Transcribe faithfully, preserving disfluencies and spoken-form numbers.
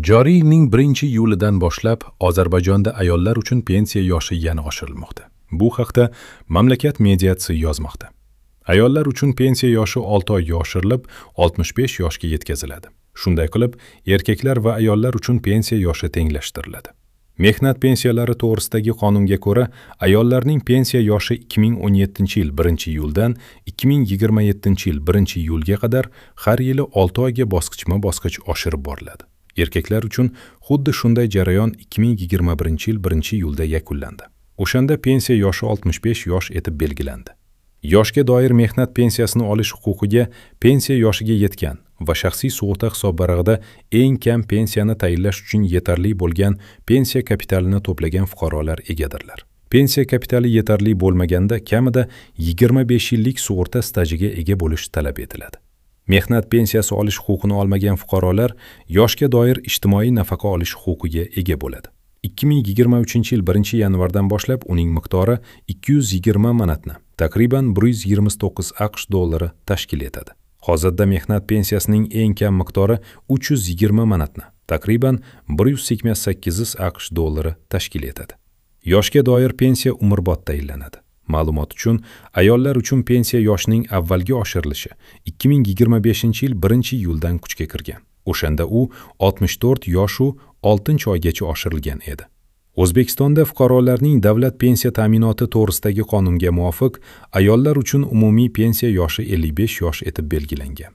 Joriy yilning birinchi iyulidan boshlab Ozarbayjonda ayollar uchun pensiya yoshi yana oshirilmoqda. Bu haqda mamlakat mediasi yozmoqda. Ayollar uchun pensiya yoshi olti oyga oshirilib, oltmish besh yoshga yetkaziladi. Shunday qilib, erkaklar va ayollar uchun pensiya yoshi tenglashtiriladi. Mehnat pensiyalari to'g'risidagi qonunga ko'ra, ayollarning pensiya yoshi ikki ming o'n yettinchi yil birinchi iyuldan ikki ming yigirma yettinchi yil birinchi iyulga qadar har yili olti oyga bosqichma-bosqich oshirib boriladi. Erkaklar uchun xuddi shunday jarayon ikki ming yigirma birinchi yil birinchi iyulda yakunlandi. O'shanda pensiya yoshi oltmish besh yosh etib belgilandi. Yoshga doir mehnat pensiyasini olish huquqiga pensiya yoshiga yetgan va shaxsiy sug'urta hisobvarag'ida eng kam pensiyani tayinlash uchun yetarli bo'lgan pensiya kapitalini to'plagan fuqarolar egadirlar. Pensiya kapitali yetarli bo'lmaganda kamida yigirma besh yillik sug'urta stajiga ega bo'lish talab etiladi. Mehnat pensiyasi olish huquqini olmagan fuqarolar yoshga doir ijtimoiy nafaqa olish huquqiga ega bo'ladi. ikki ming yigirma uchinchi yil birinchi yanvardan boshlab uning miqdori ikki yuz yigirma manatni, taqriban bir yuz yigirma to'qqiz AQSh dollari tashkil etadi. Hozirda mehnat pensiyasining eng kam miqdori uch yuz yigirma manatni, taqriban bir yuz sakson sakkiz AQSh dollari tashkil etadi. Yoshga doir pensiya umrbod tayinlanadi. Ma'lumot uchun, ayollar uchun pensiya yoshining avvalgi oshirilishi ikki ming yigirma beshinchi yil birinchi iyuldan kuchga kirgan. O'shanda u oltmish to'rt yoshu oltinchi oygacha oshirilgan edi. O'zbekistonda fuqarolarning davlat pensiya ta'minoti to'g'risidagi qonunga muvofiq ayollar uchun umumiy pensiya yoshi ellik besh yosh etib belgilangan.